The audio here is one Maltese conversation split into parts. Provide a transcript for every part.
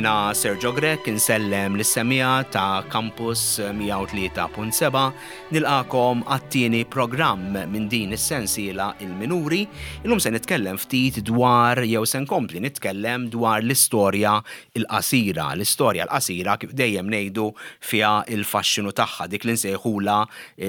Jiena Sergio Grech insellem lis-semmiegħa ta' Campus 103.7 nilqakom għat-tieni programm minn din is-sensiela Il-Minuri. Illum se nitkellem ftit dwar jew se nkompli nitkellem dwar l-istorja l-qasira. L-istorja l-qasira kif dejjem ngħidu fiha l-faxxinu tagħha, dik li nsejħulha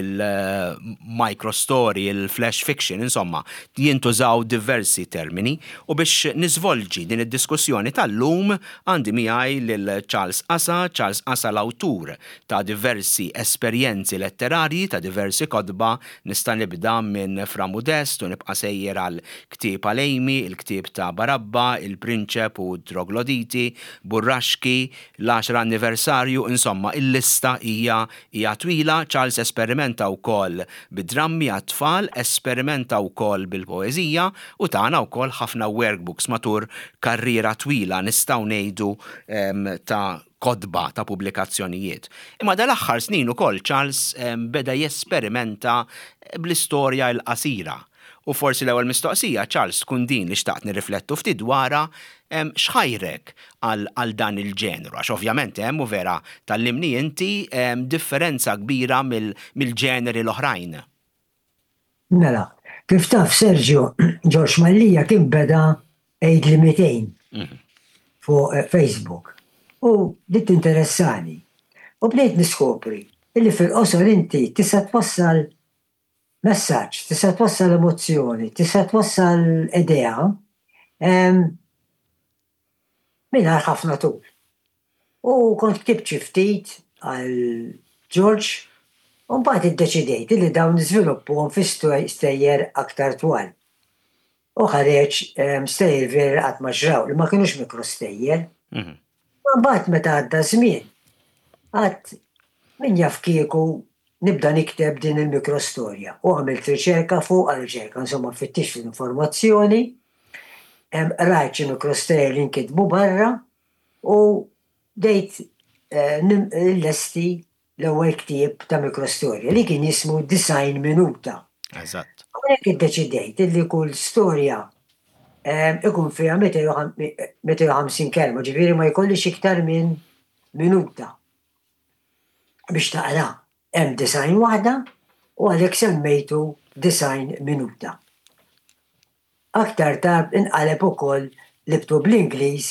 il-microstory, il-flash fiction, insomma, jintużaw diversi termini. U biex niżvolġi din id-diskussjoni tal-lum għandi miegħi lil Charles Casa, Charles Casa l-awtur ta' diversi esperjenzi letterarji, ta' diversi kotba, nista' nibda minn Fra Mudest u nibqa' sejjer għal Ktieb għal Amy, il-ktieb ta' Barabba, Il-Prinċep u t-Trogloditi, Burraxki, L-għaxar anniversarju, insomma, il-lista hija hija twila. Charles esperimenta wkoll bid-drammi għat-tfal, esperimenta wkoll bil-poeżija u tana wkoll ħafna workbooks matur karriera twila nistgħu ngħidu ta' kotba, ta' pubblikazzjonijiet. Imma dal-aħħar snin ukoll Charles beda jesperimenta bl-istorja l-qasira. U forsi l-ewwel mistoqsija, Charles, tkun din li xtaqt nirriflettu ftit dwarha, x'ħajrek għal dan il-ġeneru? Għax ovvjament hemm, u vera tgħallimni inti, differenza kbira mill-ġeneri l-oħrajn. Mela, kif taf Sergio, Ġorġ Mallia kien beda Għidli 200 fuq Facebook u bdiet tinteressani. U bdejt niskopri illi fil-qosor inti tista' twassal messaġġ, tista' twassal emozzjoni, tista' twassal idea mingħajr ħafna tul. U kont ktibt xi ftit għal George u mbagħad iddeċidejt li dawn niżviluppuhom fi stejjer aktar twal. U ħareġ stejjer veri li qatt ma ġraw, li ma kinux mikrostejjer. Ma mbagħad meta għadda żmien, għad min jaf kieku nibda nikteb din il-mikrostorja. U għamilt riċerka fuqha, riċerka, insomma fittixt l-informazzjoni, qrajt xi mikrostejjer li nkitbu barra u bdejt nlesti l-ewwel ktieb ta' mikrostorja li kien jismu 90 Minuta. Eżatt. Hawnhekk iddeċidejt illi kull storja ikun fiha 250 kelma, ġifieri ma jkollix iktar minn minuta biex taqra. Hemm 90 waħda u għalhekk semmejtu 90 Minuta. Aktar tard inqaleb ukoll libtu bl-Ingliż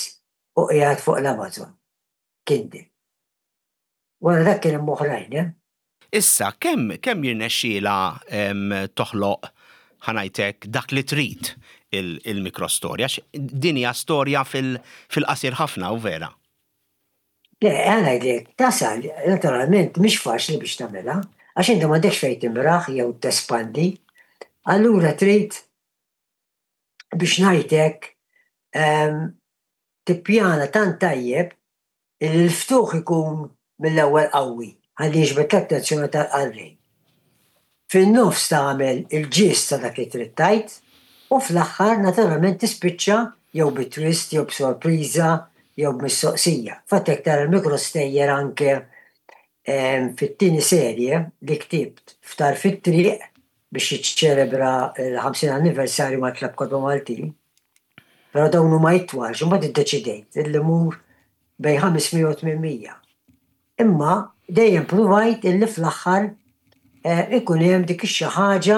u qiegħed fuq l-Amazon Kindle. Wara dak kien hemm oħrajn, eh. Issa, kemm kemm jirnexxielha toħloq, ħa ngħid hekk, dak li trid il-mikrostorja? Għax din hija storja fil-qasir ħafna, u vera? Le, ħa ngħidlek, tasal, naturalment mhix faċli biex tagħmilha, għax inti m'għandekx fejn timraħ jew tespandi. Allura trid biex ngħid hekk tippjana tant tajjeb Illi l-ftuħ ikun mill-ewwel qawwi ħalli jiġbed l-attenzjoni tal-qarrej. Fin-nofs tagħmel il-ġist ta' dak li trid tgħid u fl-aħħar naturalment tispiċċa jew bi twist jew b'sorpriża jew b'mistoqsija. Fatt jekk tara l-mikrostejjer anke fit-tieni serje li ktibt f'Tarf it-Triq biex jiċċelebra l-50 anniversarju mal-Klabb Kotba Maltin, Però dawn huma itwal, għax imbagħad iddeċidejt illi mmur bejn 500 u 800. Imma dejjem pruvajt illi fl-aħħar eh, ikun hemm dik ix-xi ħaġa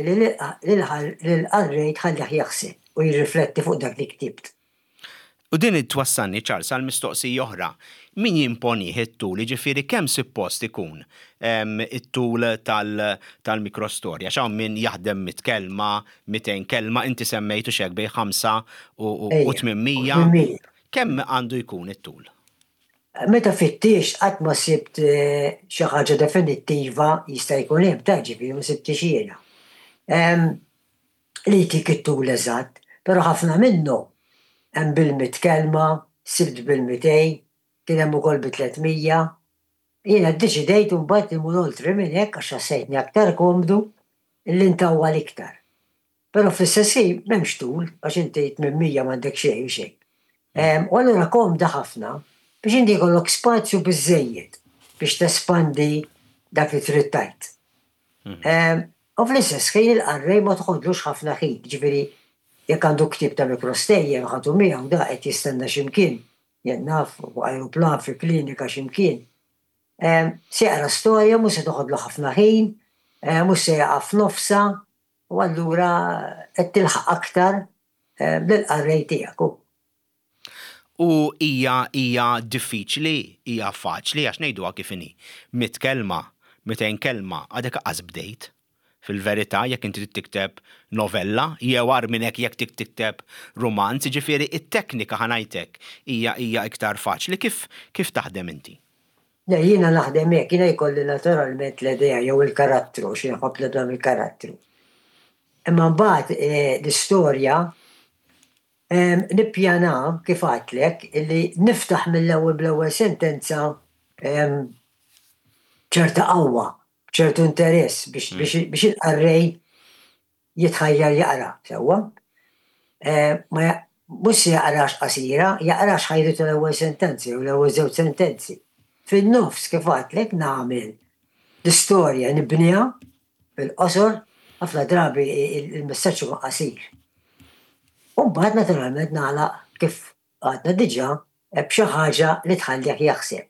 li lill-qarrej tħallih jaħseb u jirrifletti fuq dak li ktibt. U din twassalni, Charles, għal mistoqsija oħra. Min jimponih it-tul, jiġifieri kemm suppost ikun it-tul tal-mikrostorja? Għax hawn min jaħdem mitt kelma, 200 kelma, inti semmejt hux hekk bejn 5 u 800. Kemm għandu jkun it-tul? Meta fittixt qatt ma sibt xi ħaġa definittiva jista' jkun hemm ta' ġifieri ma sibtix jiena. Li jtik it-tul eżatt, però ħafna minnhom hemm bil-mitt kelma, sibt bil-mitej, kien hemm ukoll bi 300. Jiena ddeċidejt imbagħad li mmur oltre minn hekk għax ħassejtni aktar komdu li ntawwal iktar. Però fl-istess ħin m'hemmx tul għax inti 800 m'għandek xejn u xejn. U allura komda ħafna biex inti jkollok spazju biżżejjed biex tespandi dak li trid tgħid. U fl-istess ħin il-qarrej ma toħodlux ħafna ħin, jiġifieri jekk għandu ktieb ta' mikrostejjer u ħadu miegħu da qed jistenna xi mkien. Jien naf, fuq ajruplan, fi klinika xi mkien. Se jaqra storja, mhux se toħodlu ħafna ħin, mhux se jaqa' f'nofsha, u allura qed tilħaq aktar lill-qarrej tiegħek. U hija hija diffiċli, hija faċli għax ngħiduha kif inhi. Mitt kelma, 200 kelma, għadek qas bdejt. Fil-verità, jekk inti trid tikteb novella, jew agħar minn hekk jekk trid tikteb rumanz, jiġifieri t-teknika ħa ngħid hekk hija hija iktar faċli. Kif kif taħdem inti? Le, jiena naħdem hekk, jiena jkolli naturalment l-idea jew il-karattru, għax jien nħobb nibda mill-karattru. Imma mbagħad l-istorja nippjana kif għedtlek illi niftaħ mill-ewwel bl-ewwel sentenza b'ċerta qawwa, b'ċertu interess biex biex il-qarrej jitħajjar jaqra, sewwa. Ma mhux se jaqrax qasira, jaqrax ħajritu l-ewwel sentenza jew l-ewwel żewġ sentenzi. Fin-nofs kif għedtlek nagħmel l-istorja nibniha fil-qosor, ħafna drabi il-messaġġ ikun qasir. U mbagħad naturalment nagħlaq kif għadna diġà b'xi ħaġa li tħallih jaħseb.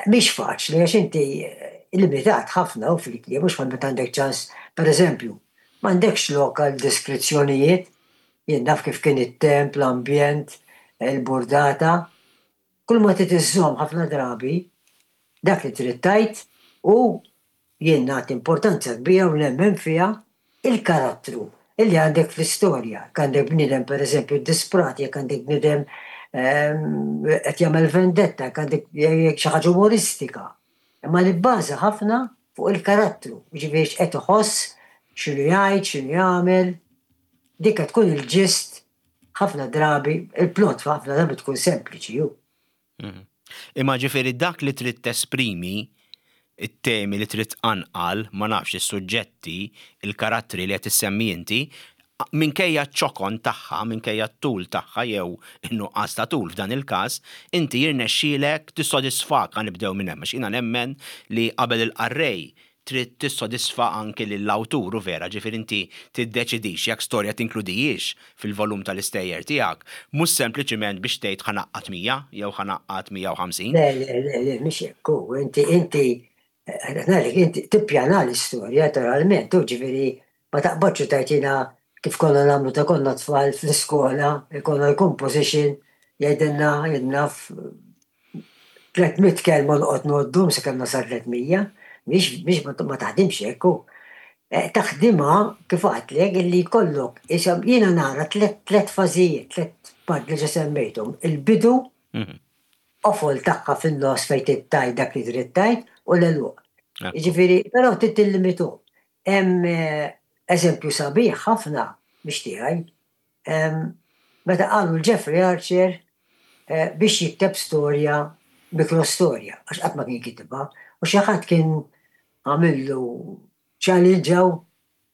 Mhix faċli għax inti limitat ħafna u fil-kliem mhux bħal meta għandek ċans, pereżempju, m'għandekx lok għal deskrizzjonijiet, jien naf kif kien it-temp, l-ambjent, il-burdata. Kull ma trid iżżomm ħafna drabi dak li trid tgħid u Jien nagħti importanza kbira u nemmen fiha il-karattru illi għandek fl-istorja. Jekk għandek bniedem pereżempju ddisprat, jekk għandek bniedem qed jagħmel vendetta, jekk għandek xi ħaġa umoristika. Imma nibbaża ħafna fuq il-karattru, jiġifieri x'qed iħoss, x'inhu jgħid, x'inhu jagħmel. Dik qed tkun il-ġist ħafna drabi, il-plot ħafna drabi tkun sempliċi hu. Mhm. Imma ġifieri dak li trid tesprimi, it-temi li trid tqanqal, ma nafx is-suġġetti, il-karattri li qed issemmi inti, minkejja ċ-ċokon tagħha, minkejja t-tul tagħha jew in-nuqqas ta' tul f'dan il-każ, inti jirnexxielek tissodisfak ħa nibdew minn hemm għax jiena nemmen li qabel il-qarrej trid tissodisfa anki lill-awtur, hu vera, ġifieri inti tiddeċidix jekk storja tinkludihiex fil-volum tal-istejjer tiegħek, mhux sempliċiment biex tgħid ħa ngħaqqad 100 jew ħa ngħaqqad 150. Le, le, le, le, mhix hekk hu. Inti, inti, qed ngħidlek, inti tippjana l-istorja naturalment, hu ġifieri ma taqbadx u tgħid jiena kif konna nagħmlu ta' konna tfal fl-iskola, ikollna l-composition, jgħidilna, jien naf, 300 kelma noqgħod ngħoddhom sakemm nasal 300, mhix mhix ma taħdimx hekk hu. Eh, taħdimha kif għadtlek illi jkollok isom jiena nara tliet fażijiet, tliet part li ġa semmejthom. Il-bidu, mhm. qofol tagħha fin-nofs fejn trid tgħid dak li trid tgħid u l-għeluq. Jiġifieri, però trid tillimitu. Hemm eh, eżempju sabiħ ħafna biex tiegħi Meta qalu l-Jeffrey Archer biex jikteb storja, mikrostorja, għax qatt ma kien kitibha, u xi ħadd kien għamillu challenge hawn,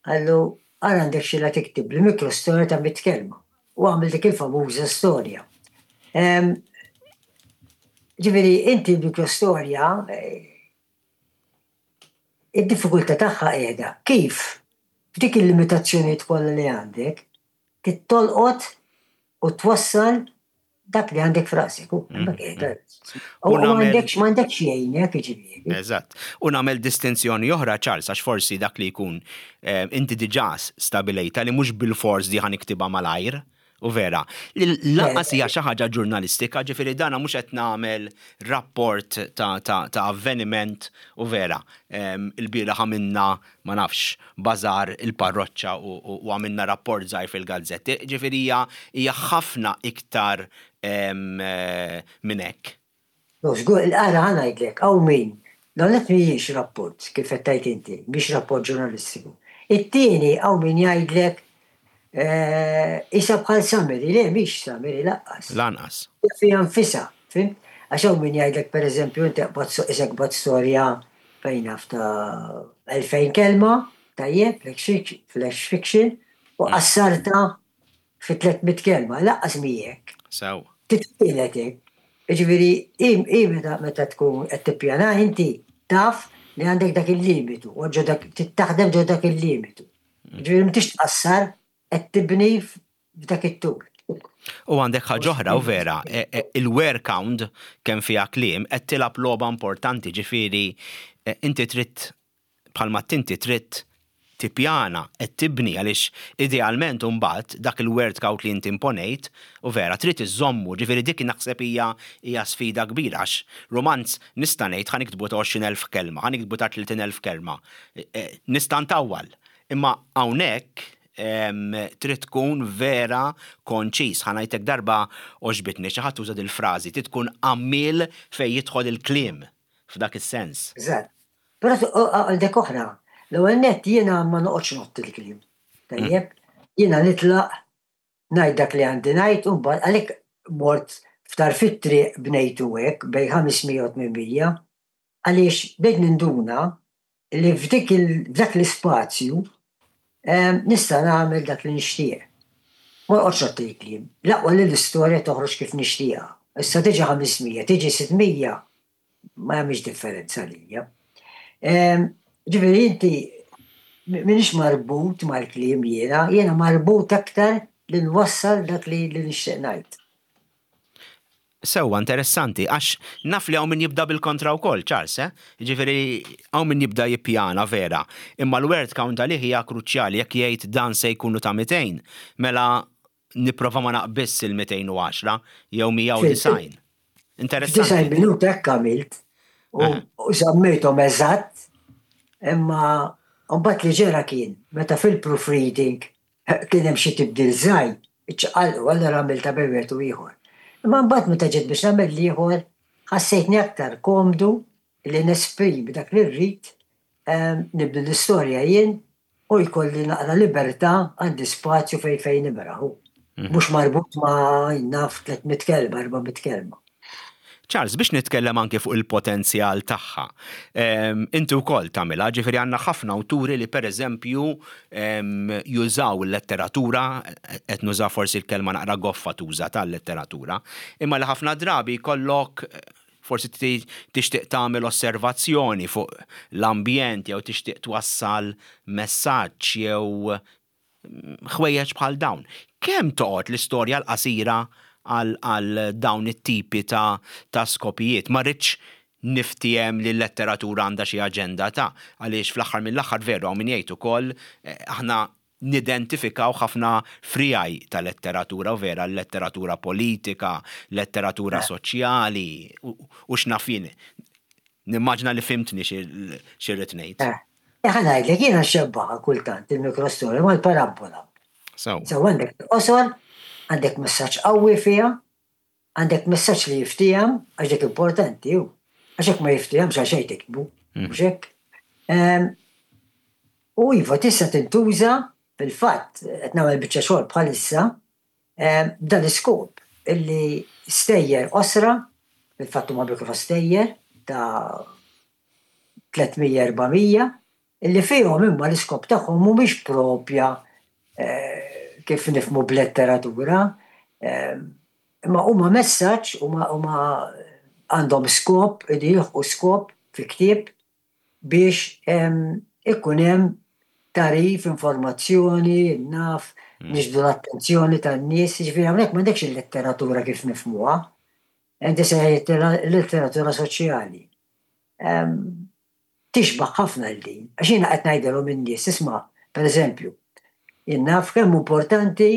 qallu ara għandek xi la tiktibli mikrostorja ta' mitt kelma. U għamel dik il-famuża storja. Ġifieri inti l-mikrostorja Id-diffikultà tagħha qiegħda kif f'dik il-limitazzjonijiet kollha li għandek trid tolqot u twassal dak li għandek f'rasek. U hemmhekk qiegħda. U m'għandekx m'għandekx jgħinek jiġifieri. Eżatt. U nagħmel distinzjoni oħra Charles għax forsi dak li jkun eh, inti diġà stabilejta li mhux bilfors di ħa niktibha malajr. U vera, li lanqas hija xi ħaġa ġurnalistika, ġifieri dana mhux qed nagħmel rapport ta', ta, ta avveniment u vera. Il-bieraħ għamilna, ma nafx, bażar il-parroċċa u, u, u għamilna rapport żgħir fil-gazzetti. Ġifieri hija hija ħafna iktar minn hekk. No, żgur, ara ħa ngħidlek, hawn min, l-ewwel nett mhijiex rapport, kif qed tgħid inti, mhix rapport ġurnalistiku. It-tieni hawn min jgħidlek qisha bħal summary, le mhix summary lanqas. Lanqas. Hija fiha nfisha, fhimt? Għax hawn min jgħidlek pereżempju inti qbadt qisek qbadt storja fejn naf ta' 2000 kelma, tajjeb, flash fiction, u qassartha fi 300 kelma, lanqas mhi hekk. Sew. Titwieled hekk. Jiġifieri hi hi meta meta tkun qed tippjana inti taf li għandek dak il-limitu u ġo dak trid taħdem ġo dak il-limitu. Jiġifieri m'intix tqassar qed tibni f'dak it-tul. U għandek ħaġa oħra u vera, e, e, il-word count kemm fiha kliem qed tilgħab logħba importanti, ġifieri e, inti trid bħalma tinti trid tippjana qed tibni għaliex idealment imbagħad dak il-word count li inti imponejt u vera trid iżommu, ġifieri dik naħseb hija hija sfida kbira għax romanz nista' ngħid ħa niktbu ta' 20,000 kelma, ħa niktbu ta' 30,000 kelma. Nista' ntawwal. Imma hawnhekk trid tkun vera konċis. Ħa ngħidlek darba għoġbitni xi ħadd uża dil-frażi, trid tkun għammiel fejn jidħol il-kliem f'dak is-sens. Eżatt. Però għandek oħra, l-ewwel nett jiena ma noqgħodx ngħodd il-kliem. Tajjeb? Jiena nitlaq ngħid dak li għandi ngħid u mbagħad għalhekk mort f'tarf it-triq bnejtu hekk bejn 500 u 800 għaliex bdejt ninduna li f'dik f'dak l-ispazju nista' nagħmel dak li nixtieq. Ma noqgħodx ngħodd il-kliem. L-aqwa li l-istorja toħroġ kif nixtieqha. Issa tiġi 500, tiġi 600, ma jagħmilx differenza għalija. Ġifieri inti m'iniex marbut mal-kliem jiena, jiena marbut aktar li nwassal dak li nixtieq ngħid. Sewwa, interessanti, għax naf li hawn min jibda bil-kontra wkoll, Charles, eh? Jiġifieri hawn min jibda jippjana vera, imma l-word count għalih hija kruċjali, jekk jgħid dan se jkunu ta' 200, mela nipprova ma naqbiżx il-210 jew 190. Interessanti. F'disgħin minuta hekk għamilt u żammejthom eżatt, imma mbagħad li ġara kien meta fil-proofreading Kien hemm xi tibdil żgħir, iċċaqalqu, allura għamiltha bejn wieħed u ieħor. Imma mbagħad meta ġiet biex nagħmel l-ieħor, ħassejtni aktar komdu li nesprimi dak li rrid, nibni l-istorja jien u jkolli naqra libertà, għandi spazju fejn fejn nimraħ u mhux marbut ma' naf 300 kelma, 400 kelma. Charles, biex nitkellem anki fuq il-potenzjal tagħha. Inti wkoll tagħmilha, ġifieri għandna ħafna awturi li pereżempju jużaw il-letteratura, qed nuża forsi l-kelma naqra goffa tuża tal-letteratura, imma li ħafna drabi jkollok forsi tixtieq tagħmel osservazzjoni fuq l-ambjent jew tixtieq twassal messaġġ jew ħwejjeġ bħal dawn. Kemm toqgħod l-istorja l-qasira għal dawn it-tipi ta' ta' skopijiet? Ma rridx niftiehem li l-letteratura għandha xi aġenda ta' għaliex fl-aħħar mill-aħħar veru hawn min jgħid ukoll aħna nidentifikaw ħafna friegħi ta' letteratura u vera l-letteratura politika, letteratura soċjali u x'naf jien. Nimmaġina li fhimtni xi rrid ngħid. Ħa ngħidlek, jiena nxebbaha kultant il-mikrostorja mal-parabbola. Sew. Sew għandek il-qosor, għandek messaġġ qawwi fiha, għandek messaġġ li jiftiehem, għax dik importanti hu. Għax jekk ma jiftihemx għal xejn tiktbu, mhux hekk? U iva tista' tintuża fil-fatt qed nagħmel biċċa xogħol bħalissa b'dan l-iskop illi stejjer qosra, fil-fatt huma mikrostejjer ta' 300, 400, illi fihom imma l-iskop tagħhom mhumiex propja kif nifhmu b'letteratura, imma huma messaġġ, huma għandhom skop, iridu jilħqu skop fi ktieb biex ikun hemm tagħrif, informazzjoni, naf, niġbdu l-attenzjoni tan-nies, jiġifieri hawnhekk m'għandekx il-letteratura kif nifhmuha, inti se letteratura soċjali. Tixbaħ ħafna l din, għax jiena qed ngħidilhom in-nies, isma', pereżempju, jien naf kemm importanti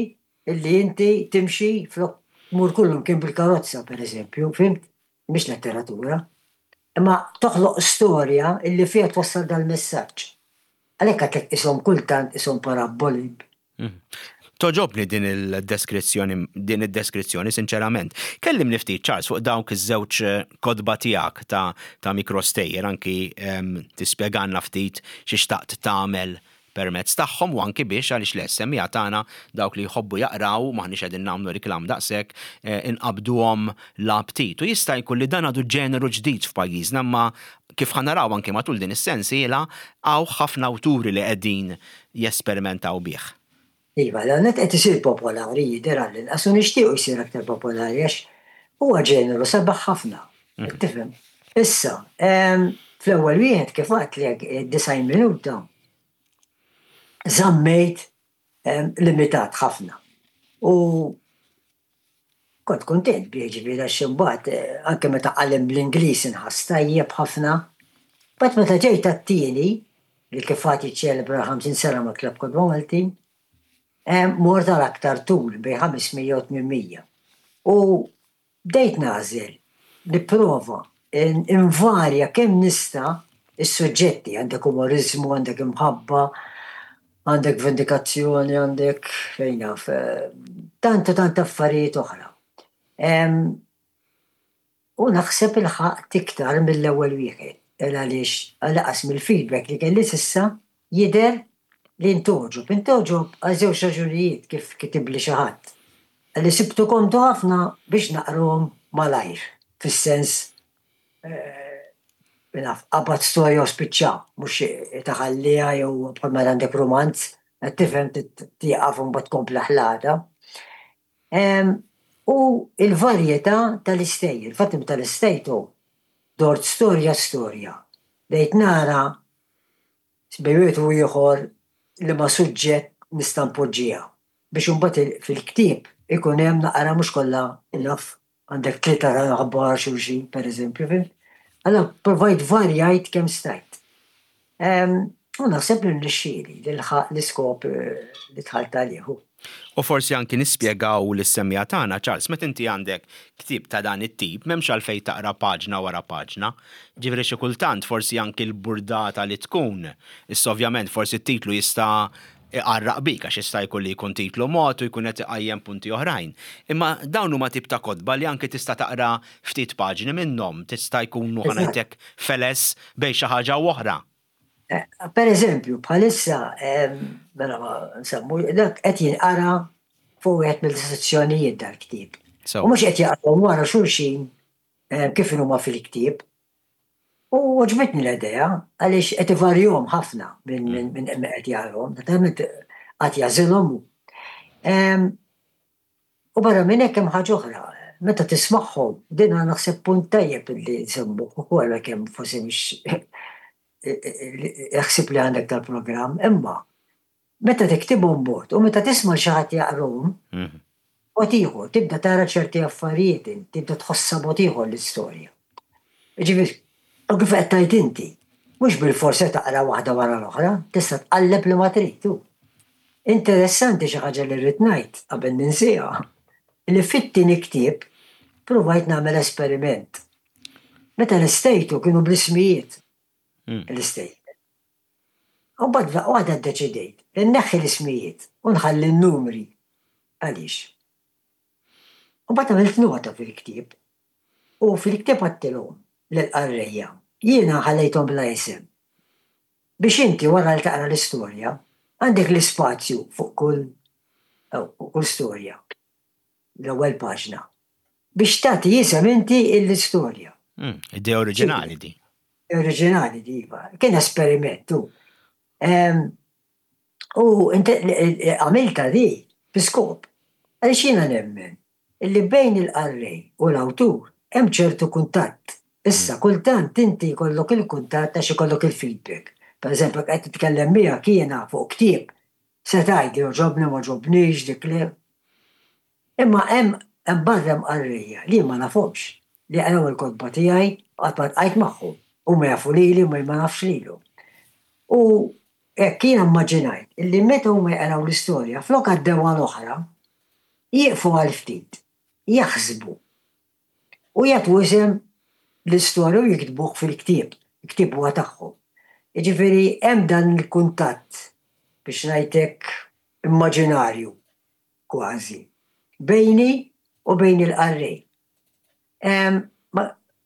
illi inti timxi flok tmur kullimkien bil-karozza, pereżempju, fhimt? Mhix letteratura. Imma toħloq storja illi fiha twassal dal-messaġġ. Għalhekk għedtlek qishom kultant qishom parabboli. Togħġobni din il-deskrizzjoni, din id-deskrizzjoni, sinċerament. Kellimni ftit, Charles, fuq dawk iż-żewġ kotba tiegħek ta' ta' mikrostejjer, anki tispjegalna ftit xi xtaqt tagħmel permezz tagħhom u anki biex, għaliex le, s-semmiegħa tagħna, dawk li jħobbu jaqraw, m'aħniex qegħdin nagħmlu riklam daqshekk, inqabbduhom l-aptit. U jista' jkun li dan għadu ġeneru ġdid f'pajjiżna imma kif ħa naraw anki matul din is-sensiela, hawn ħafna awturi li qegħdin jesperimentaw bih. Iva, l-għan qed isir popolari jidher għall-inqas u nixtiequ jsir aktar popolari għax huwa ġeneru sabiħ ħafna. Tifhem? Issa, fl-ewwel wieħed kif għedtlek 90 minuta żammejt limitat ħafna. U Kont kuntent bih ġifieri għax imbagħad anke meta qalem bl-Ingliż inħass tajjeb ħafna. Mbagħad meta ġejt għat-tieni, li kif għad jiċċelebra l-50 sena mal-Klabb Kotba Maltin, mort għal aktar tul bejn 500 u 800. U bdejt nagħżel, nipprova nvarja kemm nista' s-suġġetti, għandek umoriżmu, għandek imħabba, għandek vendikazzjoni, għandek fejn naf, tant u tant affarijiet oħra. U naħseb ilħaqt iktar mill-ewwel wieħed, għaliex għall-inqas mill-feedback li kelli s'issa jidher li ntgħoġob. Intgħoġob għal żewġ raġunijiet kif kitibli xi ħadd. Qalli sibtu komdu ħafna biex naqrahom malajr, fis-sens naf, qabad storja u spiċċa, mhux taħalliha jew bħal meta għandek rumanz, qed tifhem tieqaf u mbagħad tkompli ħlata. U l-varjetà tal-istejjer. Infatti meta lestejtu dort storja storja, bdejt nara bejn wieħed u ieħor liema suġġett nista' npoġġiha biex imbagħad fil-ktieb ikun hemm naqra mhux kollha naf għandek tlieta ta' nħabbu wara xulxin pereżempju, fhimt? Allura provajt varjajt kemm stajt. U naħseb li rnexxieli nilħaq l-iskop li dħalt għalih. U forsi anki nispjegaw lis-semmiegħa tagħna, Charles, meta inti għandek ktieb ta' dan it-tip, m'hemmx għalfejn taqra paġna wara paġna. Ġifieri xi kultant forsi anki l-burdata li tkun, issa ovvjament forsi t-titlu jista' iqarraq bik għax jista' jkun li jkun titlu mod u jkun qed iqajjem punti oħrajn. Imma dawn huma tip ta' kotba li anki tista' taqra ftit paġni minnhom, tista' jkunu ħa ngħid hekk feles bejn xi ħaġa u oħra. Per eżempju, bħalissa, mela ma nsemmu, dak qed jinqara fuq wieħed mill-istituzzjonijiet dal-ktieb. U mhux qed jaqrahom wara xulxin kif inhuma fil-ktieb. U għoġbitni l-idea għaliex qed ivarjhom ħafna minn min qed jaqrahom, naturalment qatt jagħżilhom hu. U barra minn hekk hemm ħaġa oħra, meta tismagħhom, din naħseb punt tajjeb li nsemmuh ukoll għalkemm forsi mhix il-ħsieb li għandek tal-programm, imma meta tiktibhom mod u meta tisma' xi ħadd jaqrahom, mod ieħor, tibda tara ċerti affarijiet, tibda tħossha mod ieħor l-istorja. Ġifieri, u kif qed tgħid inti, mhux bilfors se taqra waħda wara l-oħra, tista' tqalleb li ma trid. Interessanti xi ħaġa li rrid ngħid qabel ninsiha, li fit-tieni ktieb provajt nagħmel esperiment. Meta lestejtu kienu bl-ismijiet l-istejjer. U mbagħad f'daqqa waħda ddeċidejt li nneħħi l-ismijiet u nħalli n-numri. Għaliex? U mbagħad għamilt nota fil-ktieb u fil-ktieb għedtilhom lill-qarrejja, jiena ħallejthom bla isem. Biex inti wara li taqra l-istorja għandek l-ispazju fuq kull fuq kull storja, l-ewwel paġna, biex tagħti isem inti l-istorja. Idea oriġinali di. Oriġinali di, iva. Kien esperiment hu. U għamiltha di bi skop. Għaliex jiena nemmen illi bejn il-qarrej u l-awtur hemm ċertu kuntatt. Issa, kultant inti jkollok il-kuntatt għax ikollok il-feedback. Pereżempju, jekk qed nitkellem miegħek jiena fuq ktieb, se tgħidli għoġobni, m'għoġobnix, dik le. Imma hemm hemm barra hemm qarrejja li jien ma nafhomx, li jaqraw il-kotba tiegħi u qatt ma ltqajt magħhom. Huma jafu lili imma jien ma nafx lilhom. U hekk jiena mmaġinajt illi meta huma jaqraw l-istorja, flok għaddew għal oħra, jieqfu għal ftit, jaħsbu u jagħtu isem l-istorja u jiktbuh fil-ktieb, il-ktieb huwa tagħhom. Jiġifieri hemm dan il-kuntatt biex ngħid hekk immaġinarju kważi bejni u bejn il-qarrej.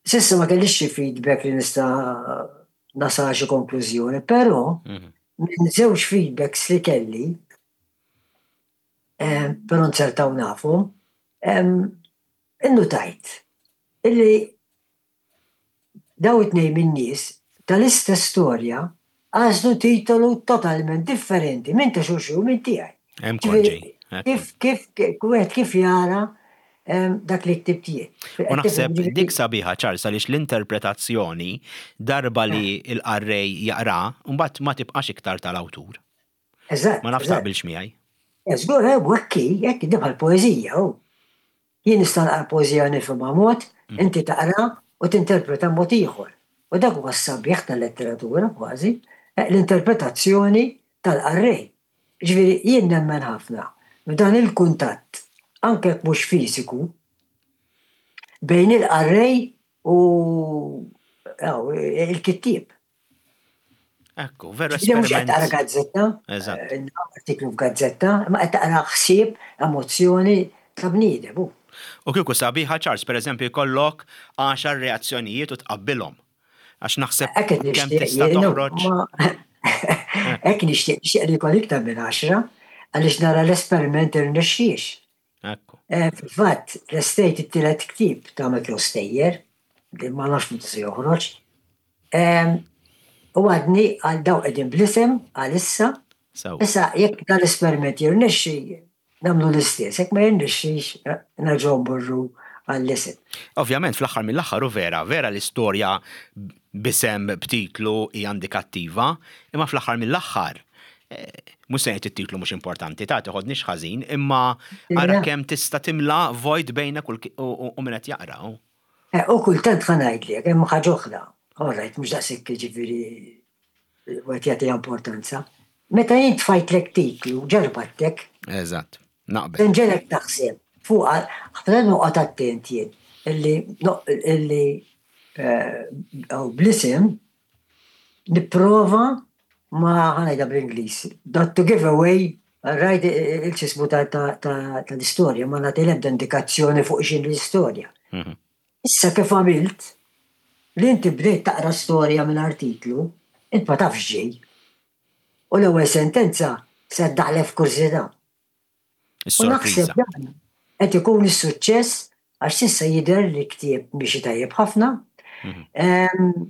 S'issa ma kellix xi feedback li nista' nasal xi konklużjoni, però minn żewġ feedbacks li kelli, però nzertaw nafhom, innutajt illi dawn it-tnejn min-nies tal-istess storja għażlu titolu totalment differenti minn ta' xulxin u minn tiegħi. Hemm kont ġej. Kif, kif, wieħed kif jara dak li ktibt jien. U naħseb dik sabiħa Charles għaliex l-interpretazzjoni darba li l-qarrej jaqra, mbagħad ma tibqax iktar tal-awtur. Eżatt. Ma nafx taqbilx miegħi. Żgur, hekk hi, hekk hi bħal poeżija hu. Jien nista' naqra poeżija nifhimha mod, inti taqra u tinterpreta mod ieħor. U dak huwa s-sabiħ tal-letteratura kważi, l-interpretazzjoni tal-qarrej. Jiġifieri jien nemmen ħafna f'dan il-kuntatt, anke jekk mhux fiżiku, bejn il-qarrej u il-kittieb. Ekku, veru esperiment. Mhux qed taqra gazzetta, eh, artiklu f'gazzetta, ma qed taqra ħsieb, emozzjoni ta' bniedem. U kieku sabiħa Charles, per eżempju, jkollok għaxar reazzjonijiet u tqabbilhom. Għax naħseb kemm tista' toħroġ. Hekk nixtieq nixtieq li jkoll iktar minn għaxra, għaliex nara l-esperiment irnexxiex. Ekku. Eh, fil-fatt, lestejt it-tielet ktieb ta' Mikrostejjer, li ma nafx meta se joħroġ. U għadni għal daw qegħdin bl-isem għalissa. Issa jekk dan l-esperiment jirnexxi, nagħmlu l-istess, jekk ma jirnexxix, eh, nerġgħu mmorru għall-isem. Ovvjament fl-aħħar mill-aħħar u vera, vera l-istorja b'isem b'titlu hija indikattiva, imma fl-aħħar mill-aħħar eh, mhux se ngħid it-titlu mhux importanti, ta' tiħodniex ħażin, imma ara kemm tista' timla vojt bejnek u min qed jaqra. Eh, u kultant ħa ngħidlek, hemm ħaġa oħra. All right, mhux daqshekk jiġifieri wieħed jagħtiha importanza. Meta jien tfajtlek titlu, ġarbattek. Eżatt, naqbel. Inġelek taħseb fuq ħafna noqgħod attent jien illi illi eh, bl-isem nipprova ma ħanajda bl-Ingliż, not to give away right il-ċismu tal-istorja, ma nagħti l-ebda indikazzjoni fuq x'in l-istorja. Mhm. Issa kif għamilt li inti bdejt taqra storja minn artiklu, int ma tafx ġej. U l-ewwel sentenza se ddaħlek f'kurżità. U naħseb dan qed ikun is-suċċess għax s'issa jidher li ktieb miexi tajjeb ħafna. Mhm.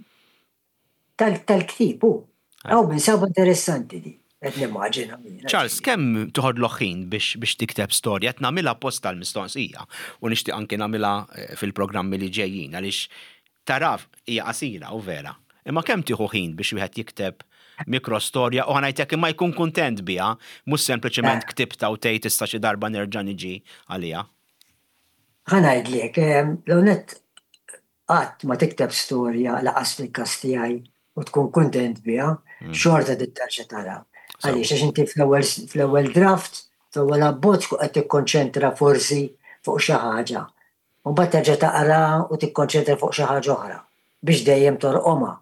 Tal-ktieb hu. Hawn minn saba interessanti di. Qed nimmaġina. Charles, kemm toħodlok ħin biex biex tikteb storja? Qed nagħmilha apposta l-mistoqsija u nixtieq anki nagħmilha eh, fil-programmi li ġejjin għaliex Taraf hija qasira u vera. Imma kemm tieħu ħin biex wieħed jikteb mikrostorja u ħa ngħidlek imma jkun kuntent biha, mhux sempliċement ktibtha u tgħid issa xi darba nerġa' niġi għaliha. Ħa ngħidlek, l-ewwel nett qatt ma tikteb storja lanqas fil-każ tiegħi u tkun kuntent biha, xorta trid terġa' tara. Għaliex għax inti fl-ewwel draft, fl-ewwel abbozz tkun qed tikkonċentra forsi fuq xi ħaġa U mbagħad terġa' taqra u tikkonċentra fuq xi ħaġa oħra biex dejjem torqomha,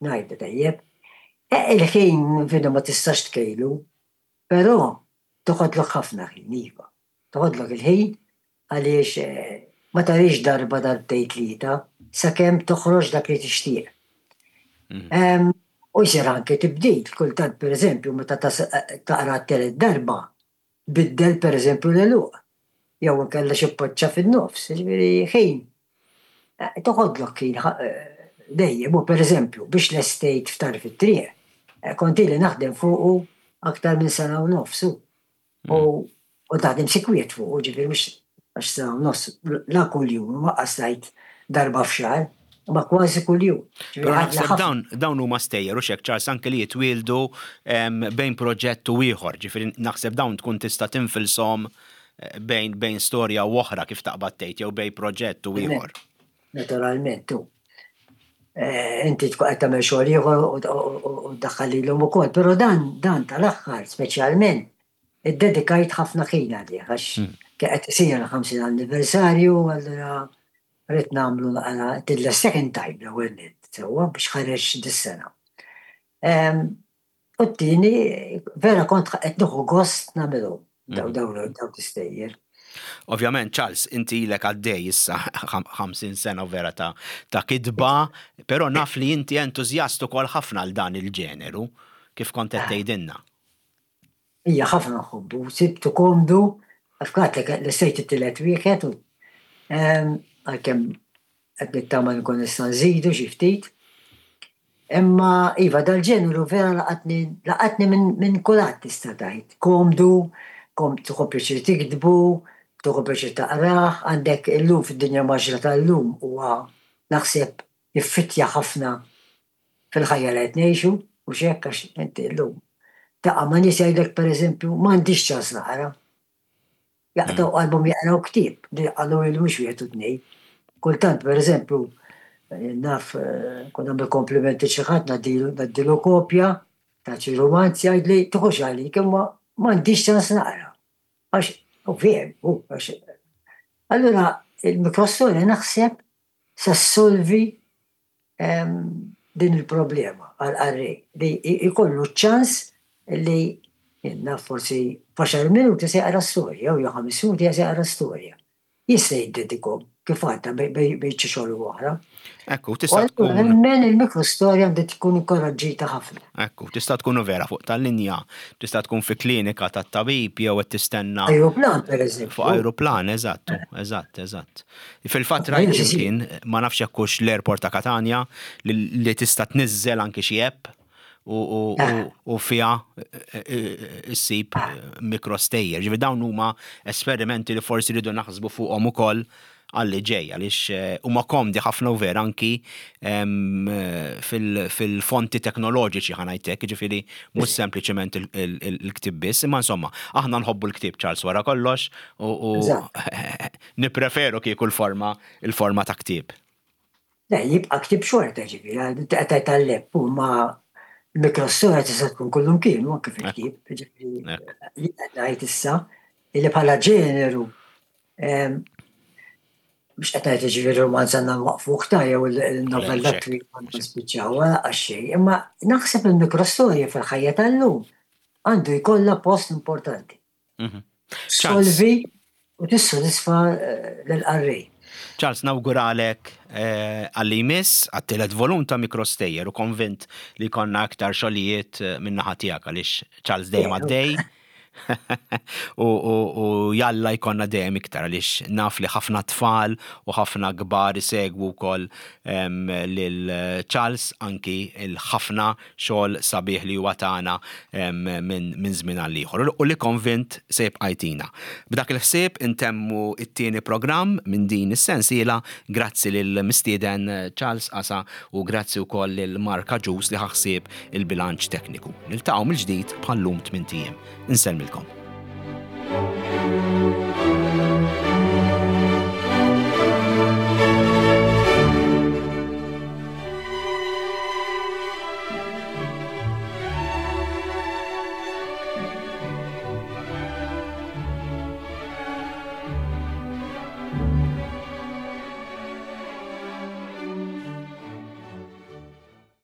ngħidu tajjeb. E, il-ħin fina ma tistax tkejlu, però toħodlok ħafna ħin, iva. Toħodlok il-ħin għaliex eh, ma tarix darba darbtejn tlieta sakemm toħroġ dak li tixtieq. Mhm. U jsir anke tibdil, kultant pereżempju meta taqra t-telet darba, Biddel pereżempju l-għeluq, jew inkella xi poċċa fin-nofs, jiġifieri ħin. Eh, toħodlok ħin eh, dejjem, u pereżempju biex lestejt f'tarf it-triq, eh, kont ili naħdem fuqu aktar minn sena u nofs. U mm. u taħdem sikwiet fuqu, ġifieri mhux għax sena u nofs la kuljum, ma qasajt darba f'xahar, ma kważi kuljum. Però naħseb dawn dawn huma stejjer u xek Charles anke li jitwieldu bejn proġett u ieħor, ġifieri naħseb dawn tkun tista' tinfilshom eh, bejn bejn storja u oħra kif taqbad tgħid jew bejn proġett u ieħor. Naturalment, tu. Eh, inti tkun qed tagħmel xogħol ieħor u ddaħħal lilhom ukoll, però dan dan tal-aħħar speċjalment iddedikajt ħafna ħin għalih għax hmm. qed isir il-50 anniversarju allura Rrid nagħmlu naqra till second time l-ewwel nett, sewwa biex ħareġ dis-sena. U t-tieni vera kont qed nieħu gost nagħmilhom daw daw daw l-istejjer. Ovvjament, Charles, inti ilek għaddej issa 50 sena vera ta' ta' kitba, però naf li inti entużjast ukoll ħafna għal dan il-ġeneru, kif kont qed tgħidilna. Ija ħafna nħobbu, sibtu komdu, għax għadlek lestejt it-tielet wieħed u għalkemm qed nittama nkun nista' nżidu xi ftit. Imma iva dal-ġeneru vera laqatni laqatni minn kulħadd tista' tgħid. Komdu, kom tieħu pjaċir tiktbu, tieħu pjaċir taqrah, għandek illum fid-dinja mgħaġġla tal-lum huwa naħseb jiffittja ħafna fil-ħajja li qed ngħixu, mhux hekk għax inti llum taqa' ma' nies jgħidlek pereżempju m'għandix ċans naqra. Jaqtgħu qalbhom jaqraw ktieb li qalu li mhux wieħed u tnejn. Kultant, pereżempju, naf kun nagħmel komplimenti xi ħadd ngħaddilu kopja ta' xi rumanz jgħidli tieħux għalik imma m'għandix ċans naqra. Għax u veru, hu għax Allura il-mikrostorja naħseb se ssolvi din il-problema għall-qarrej li jkollu ċ-ċans li naf forsi f'għaxar minuti se jaqra storja jew ħames minuti se jaqra storja. Jista' jiddedikhom kif għadda bejn xi xogħol u oħra. Ekku, tista' tkun. Nemmen il-mikrostorja għandha tkun inkoraġġita ħafna. Ekku, tista' tkun vera fuq tal-linja, tista' tkun fi klinika tat-tabib jew qed tistenna. Ajruplan, pereżempju. Fuq ajruplan, eżatt, eżatt, eżatt. Fil-fatt rajt x'imkien, ma nafx jekk hux l-airport ta' Katanja, li tista' tniżżel anki xi app u fiha ssib mikrostejjer. Ġifieri dawn huma esperimenti li forsi rridu naħsbu fuqhom ukoll għalli ġej, għaliex huma komdi ħafna u vera anki fil-fonti teknoloġiċi ħa ngħid hekk, jiġifieri mhux sempliċement il-ktieb biss, imma insomma, aħna nħobbu l-ktieb Charles wara kollox u Nippreferu kieku l-forma il-forma ta' ktieb. Le, jibqa' ktieb xorta ġifieri, inti qed tgħid għall-app u ma mikrostorja tista' tkun kullimkien u anke fil-ktieb. Ġifieri jien qed ngħid issa illi bħala ġeneru mhux qed ngħid ġifieri rumanz għandna nwaqfuh ta' jew il-novella twila nispiċċawha għax xejn, imma naħseb il-mikrostorja fil-ħajja tal-lum għandu jkollha post importanti. Mhm. Solvi u tissodisfa eh, l-qarrej. Charles, nawguralek eh, għalli jmiss għat-tielet volum ta' Mikrostejjer u konvint li konna aktar xogħlijiet eh, min-naħa tiegħek għaliex Charles dejjem għaddej. U jalla jkollna dejjem iktar għaliex naf li ħafna tfal u ħafna kbar isegwu wkoll lil Charles anki il-ħafna xogħol sabiħ li huwa tana minn żmien għal ieħor u li konvint se jibqa' jtina. B'dak il-ħsieb intemmu t-tieni programm minn din is-sensiela. Grazzi lill-mistieden Charles Casa u grazzi wkoll lil Mark Agius li ħa ħsieb il-bilanċ tekniku. Niltaqgħu mill-ġdid bħal-lum tmint ijiem. Insellmilkom.